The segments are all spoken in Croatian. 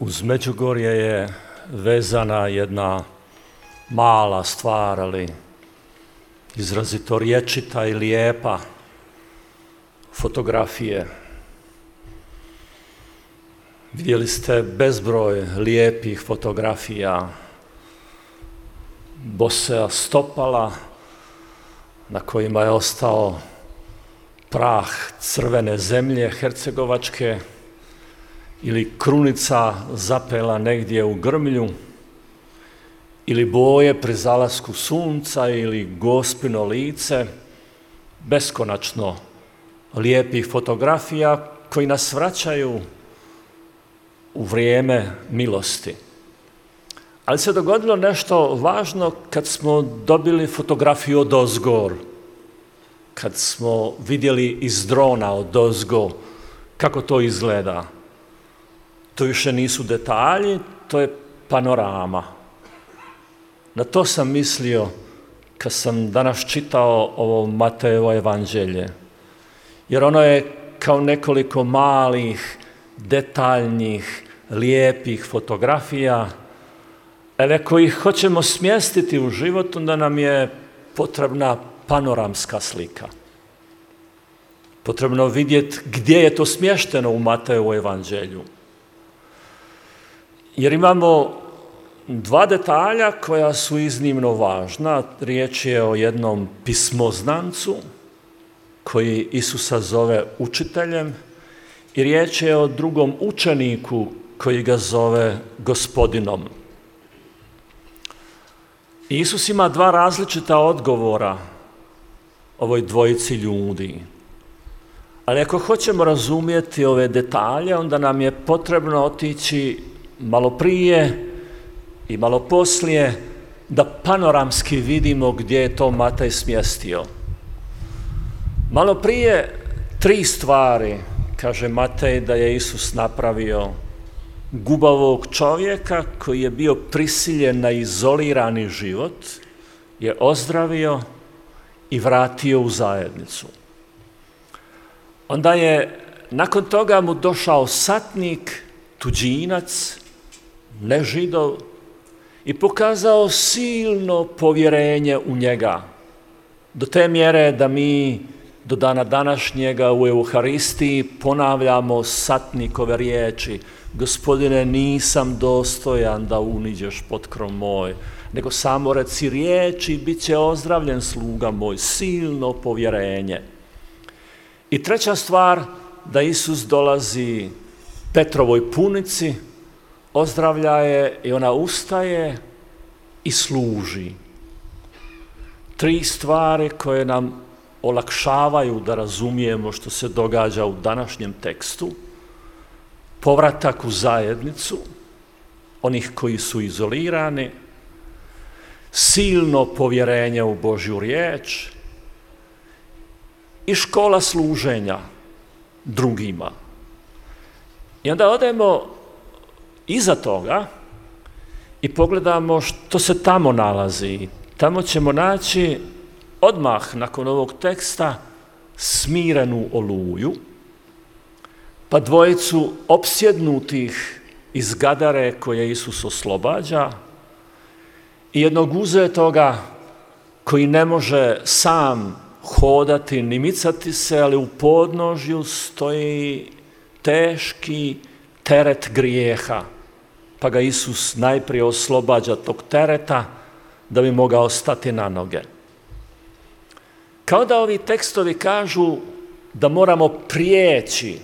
Uz Međugorje je vezana jedna mala stvar, ali izrazito rječita i lijepa, fotografije. Vidjeli ste bezbroj lijepih fotografija, bosea stopala na kojima je ostao prah crvene zemlje hercegovačke ili krunica zapela negdje u grmlju ili boje pri zalasku sunca ili Gospino lice, beskonačno lijepih fotografija koji nas vraćaju u vrijeme milosti. Ali se dogodilo nešto važno kad smo dobili fotografiju odozgor, kad smo vidjeli iz drona odozgo kako to izgleda. To više nisu detalji, to je panorama. Na to sam mislio kad sam danas čitao ovo Matejevo evanđelje. Jer ono je kao nekoliko malih, detaljnih, lijepih fotografija, ali ako ih hoćemo smjestiti u život, onda nam je potrebna panoramska slika. Potrebno vidjeti gdje je to smješteno u Matejevu evanđelju. Jer imamo dva detalja koja su iznimno važna. Riječ je o jednom pismoznancu koji Isusa zove učiteljem i riječ je o drugom učeniku koji ga zove gospodinom. Isus ima dva različita odgovora ovoj dvojici ljudi. Ali ako hoćemo razumjeti ove detalje, onda nam je potrebno otići malo prije i malo poslije da panoramski vidimo gdje je to Matej smjestio. Malo prije 3 stvari, kaže Matej, da je Isus napravio: gubavog čovjeka koji je bio prisiljen na izolirani život je ozdravio i vratio u zajednicu. Onda je nakon toga mu došao satnik, tuđinac, nežidov, i pokazao silno povjerenje u njega. Do te mjere da mi do dana današnjega u Euharistiji ponavljamo satnikove riječi: Gospodine, nisam dostojan da uniđeš potkrov moj, nego samo reci riječ i bit će ozdravljen sluga moj. Silno povjerenje. I treća stvar, da Isus dolazi Petrovoj punici, ozdravlja je i ona ustaje i služi. 3 stvari koje nam olakšavaju da razumijemo što se događa u današnjem tekstu: povratak u zajednicu onih koji su izolirani, silno povjerenje u Božju riječ i škola služenja drugima. I onda odemo iza toga i pogledamo što se tamo nalazi. Tamo ćemo naći odmah nakon ovog teksta smirenu oluju, pa dvojicu opsjednutih iz Gadare koje Isus oslobađa i jednog uzetoga koji ne može sam hodati ni micati se, ali u podnožju stoji teški teret grijeha, pa ga Isus najprije oslobađa tog tereta da bi mogao stati na noge. Kao da ovi tekstovi kažu da moramo prijeći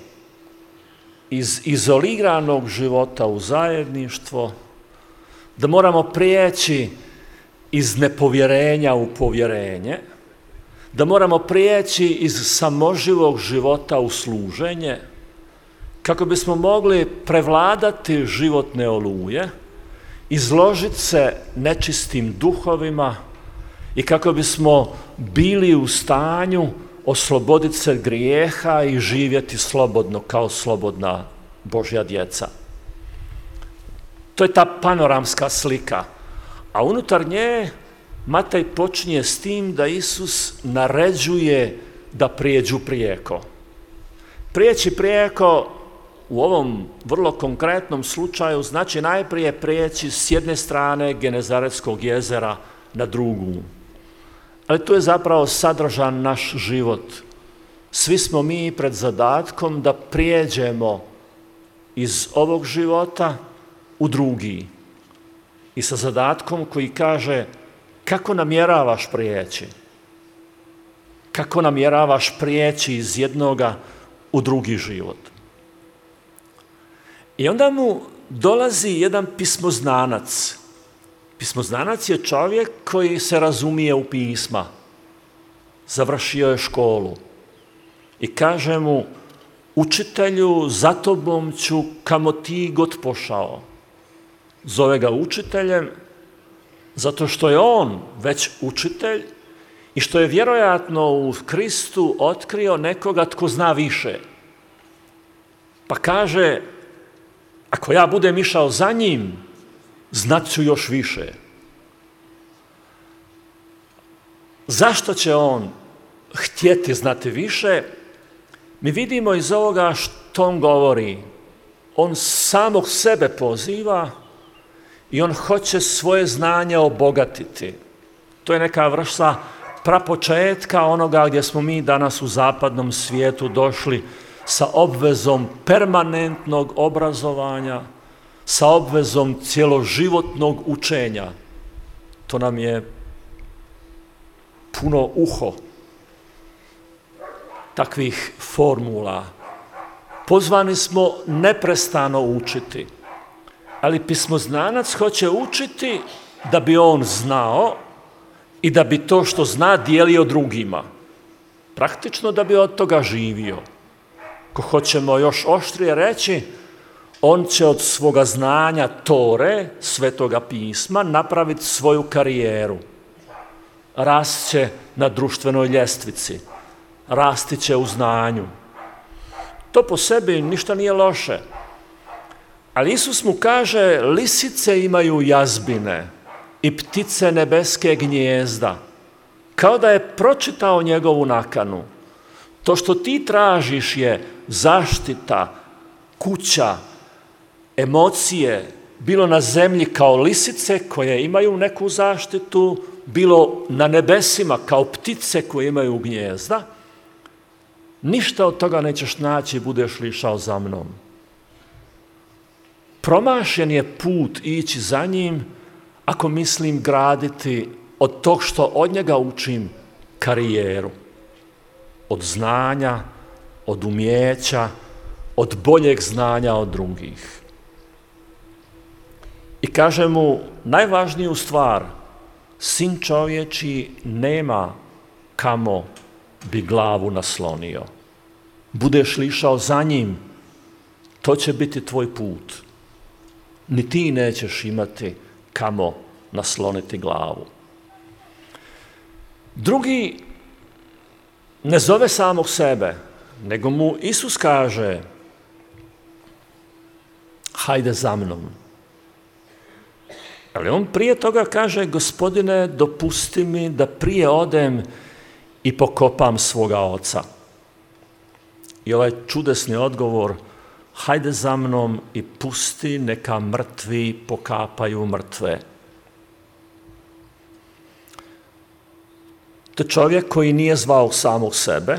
iz izoliranog života u zajedništvo, da moramo prijeći iz nepovjerenja u povjerenje, da moramo prijeći iz samoživog života u služenje, kako bismo mogli prevladati životne oluje, izložiti se nečistim duhovima i kako bismo bili u stanju osloboditi se grijeha i živjeti slobodno kao slobodna Božja djeca. To je ta panoramska slika. A unutar nje Matej počinje s tim da Isus naređuje da prijeđu prijeko. Prijeći prijeko u ovom vrlo konkretnom slučaju znači najprije prijeći s jedne strane Genezaretskog jezera na drugu. Ali to je zapravo sadržan naš život. Svi smo mi pred zadatkom da prijeđemo iz ovog života u drugi. I sa zadatkom koji kaže kako namjeravaš prijeći? Kako namjeravaš prijeći iz jednoga u drugi život? I onda mu dolazi jedan pismoznanac. Pismoznanac je čovjek koji se razumije u pisma. Završio je školu. I kaže mu, učitelju, za tobom ću kamo ti god pošao. Zove ga učiteljem zato što je on već učitelj i što je vjerojatno u Kristu otkrio nekoga tko zna više. Pa kaže, ako ja budem išao za njim, znat ću još više. Zašto će on htjeti znati više? Mi vidimo iz ovoga što on govori. On samog sebe poziva i on hoće svoje znanje obogatiti. To je neka vrsta prapočetka onoga gdje smo mi danas u zapadnom svijetu došli sa obvezom permanentnog obrazovanja, sa obvezom cjeloživotnog učenja. To nam je puno uho takvih formula. Pozvani smo neprestano učiti, ali pismoznanac hoće učiti da bi on znao i da bi to što zna dijelio drugima. Praktično da bi od toga živio. Ko hoćemo još oštrije reći, on će od svoga znanja Tore, Svetoga pisma, napraviti svoju karijeru. Rast će na društvenoj ljestvici, rasti će u znanju. To po sebi ništa nije loše. Ali Isus mu kaže, lisice imaju jazbine i ptice nebeske gnijezda. Kao da je pročitao njegovu nakanu. To što ti tražiš je zaštita, kuća, emocije, bilo na zemlji kao lisice koje imaju neku zaštitu, bilo na nebesima kao ptice koje imaju gnijezda. Ništa od toga nećeš naći, budeš li išao za mnom. Promašen je put ići za njim ako mislim graditi od tog što od njega učim karijeru. Od znanja, od umijeća, od boljeg znanja od drugih. I kaže mu najvažniju stvar, sin čovječji nema kamo bi glavu naslonio. Budeš li išao za njim, to će biti tvoj put. Ni ti nećeš imati kamo nasloniti glavu. Drugi ne zove samog sebe, nego mu Isus kaže, hajde za mnom. Ali on prije toga kaže, Gospodine, dopusti mi da prije odem i pokopam svoga oca. I ovaj čudesni odgovor, hajde za mnom i pusti neka mrtvi pokapaju mrtve. To je čovjek koji nije zvao samog sebe,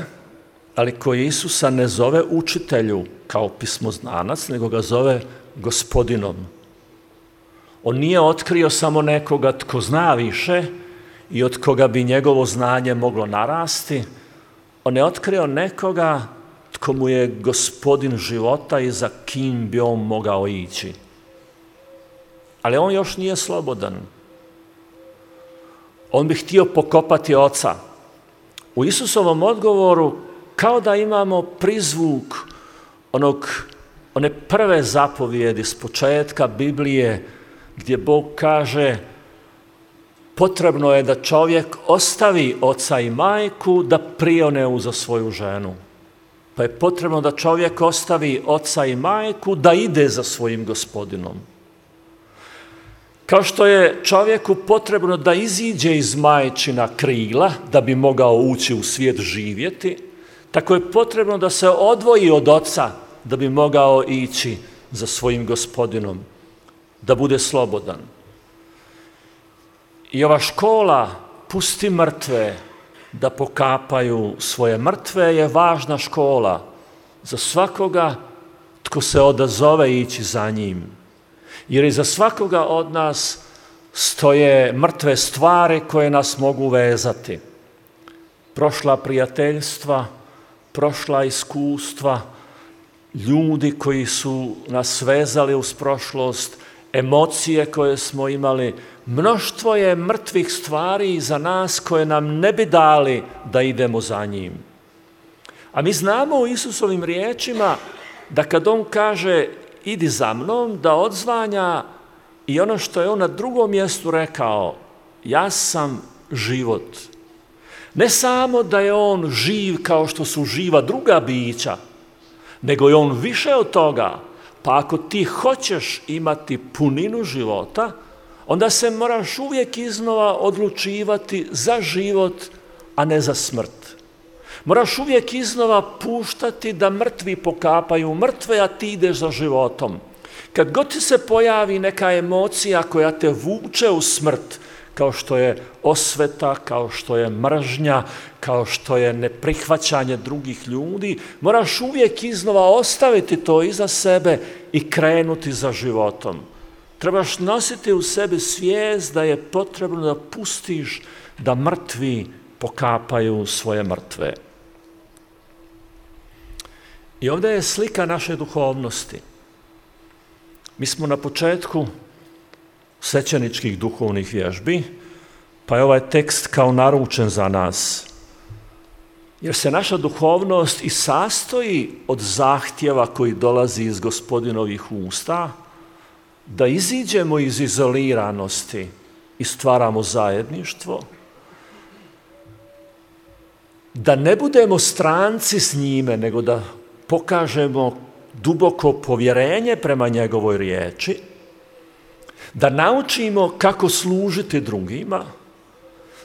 ali koji Isusa ne zove učitelju kao pismoznanac, nego ga zove Gospodinom. On nije otkrio samo nekoga tko zna više i od koga bi njegovo znanje moglo narasti. On je otkrio nekoga tko mu je gospodin života i za kim bi on mogao ići. Ali on još nije slobodan. On bi htio pokopati oca. U Isusovom odgovoru kao da imamo prizvuk one prve zapovjedi s početka Biblije gdje Bog kaže potrebno je da čovjek ostavi oca i majku da prione za svoju ženu. Pa je potrebno da čovjek ostavi oca i majku da ide za svojim gospodinom. Kao što je čovjeku potrebno da iziđe iz majčina krila da bi mogao ući u svijet živjeti, tako je potrebno da se odvoji od oca da bi mogao ići za svojim Gospodinom, da bude slobodan. I ova škola pusti mrtve da pokapaju svoje mrtve je važna škola za svakoga tko se odazove ići za njim. Jer iza svakoga od nas stoje mrtve stvari koje nas mogu vezati. Prošla prijateljstva, prošla iskustva, ljudi koji su nas vezali uz prošlost, emocije koje smo imali, mnoštvo je mrtvih stvari iza nas koje nam ne bi dali da idemo za njim. A mi znamo u Isusovim riječima da kad on kaže idi za mnom, da odzvanja i ono što je on na drugom mjestu rekao, ja sam život. Ne samo da je on živ kao što su živa druga bića, nego je on više od toga. Pa ako ti hoćeš imati puninu života, onda se moraš uvijek iznova odlučivati za život, a ne za smrt. Moraš uvijek iznova puštati da mrtvi pokapaju mrtve, a ti ideš za životom. Kad god ti se pojavi neka emocija koja te vuče u smrt, kao što je osveta, kao što je mržnja, kao što je neprihvaćanje drugih ljudi, moraš uvijek iznova ostaviti to iza sebe i krenuti za životom. Trebaš nositi u sebi svijest da je potrebno da pustiš da mrtvi pokapaju svoje mrtve. I ovdje je slika naše duhovnosti. Mi smo na početku svećeničkih duhovnih vježbi, pa je ovaj tekst kao naručen za nas. Jer se naša duhovnost i sastoji od zahtjeva koji dolazi iz Gospodinovih usta, da iziđemo iz izoliranosti i stvaramo zajedništvo, da ne budemo stranci s njime, nego da pokažemo duboko povjerenje prema njegovoj riječi, da naučimo kako služiti drugima,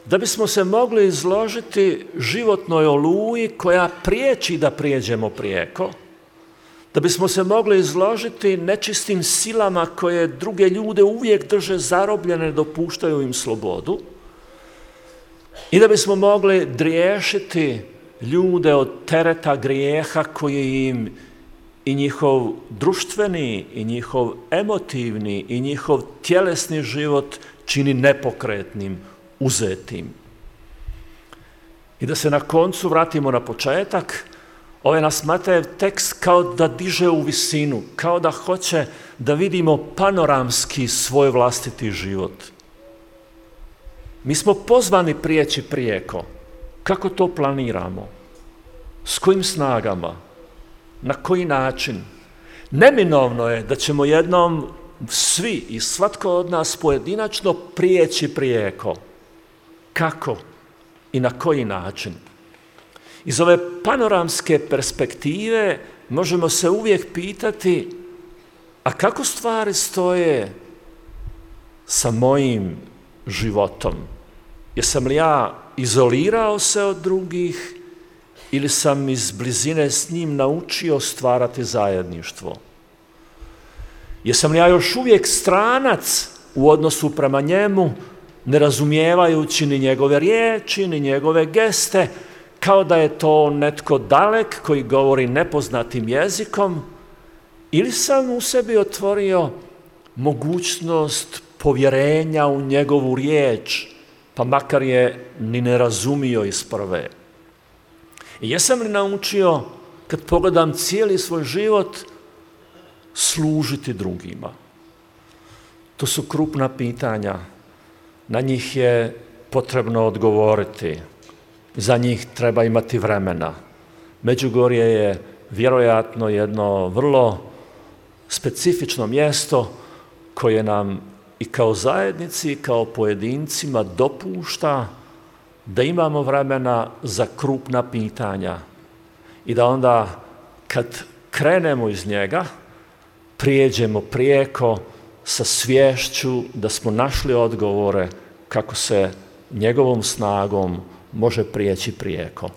da bismo se mogli izložiti životnoj oluji koja priječi da prijeđemo prijeko, da bismo se mogli izložiti nečistim silama koje druge ljude uvijek drže zarobljene, dopuštaju im slobodu, i da bismo mogli driješiti ljude od tereta grijeha koji im i njihov društveni, i njihov emotivni, i njihov tjelesni život čini nepokretnim, uzetim. I da se na koncu vratimo na početak, ovaj nas Matejev tekst kao da diže u visinu, kao da hoće da vidimo panoramski svoj vlastiti život. Mi smo pozvani prijeći prijeko. Kako to planiramo? S kojim snagama? Na koji način? Neminovno je da ćemo jednom svi i svatko od nas pojedinačno prijeći prijeko. Kako i na koji način? Iz ove panoramske perspektive možemo se uvijek pitati, a kako stvari stoje sa mojim životom? Jesam li ja izolirao se od drugih ili sam iz blizine s njim naučio stvarati zajedništvo? Jesam li ja još uvijek stranac u odnosu prema njemu, ne razumijevajući ni njegove riječi, ni njegove geste, kao da je to netko dalek koji govori nepoznatim jezikom, ili sam u sebi otvorio mogućnost povjerenja u njegovu riječ, pa makar je ni ne razumio iz prve. I jesam li naučio, kad pogledam cijeli svoj život, služiti drugima? To su krupna pitanja. Na njih je potrebno odgovoriti. Za njih treba imati vremena. Međugorje je vjerojatno jedno vrlo specifično mjesto koje nam i kao zajednici i kao pojedincima dopušta da imamo vremena za krupna pitanja i da onda kad krenemo iz njega prijeđemo prijeko sa sviješću da smo našli odgovore kako se njegovom snagom može prijeći prijeko.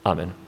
Amen.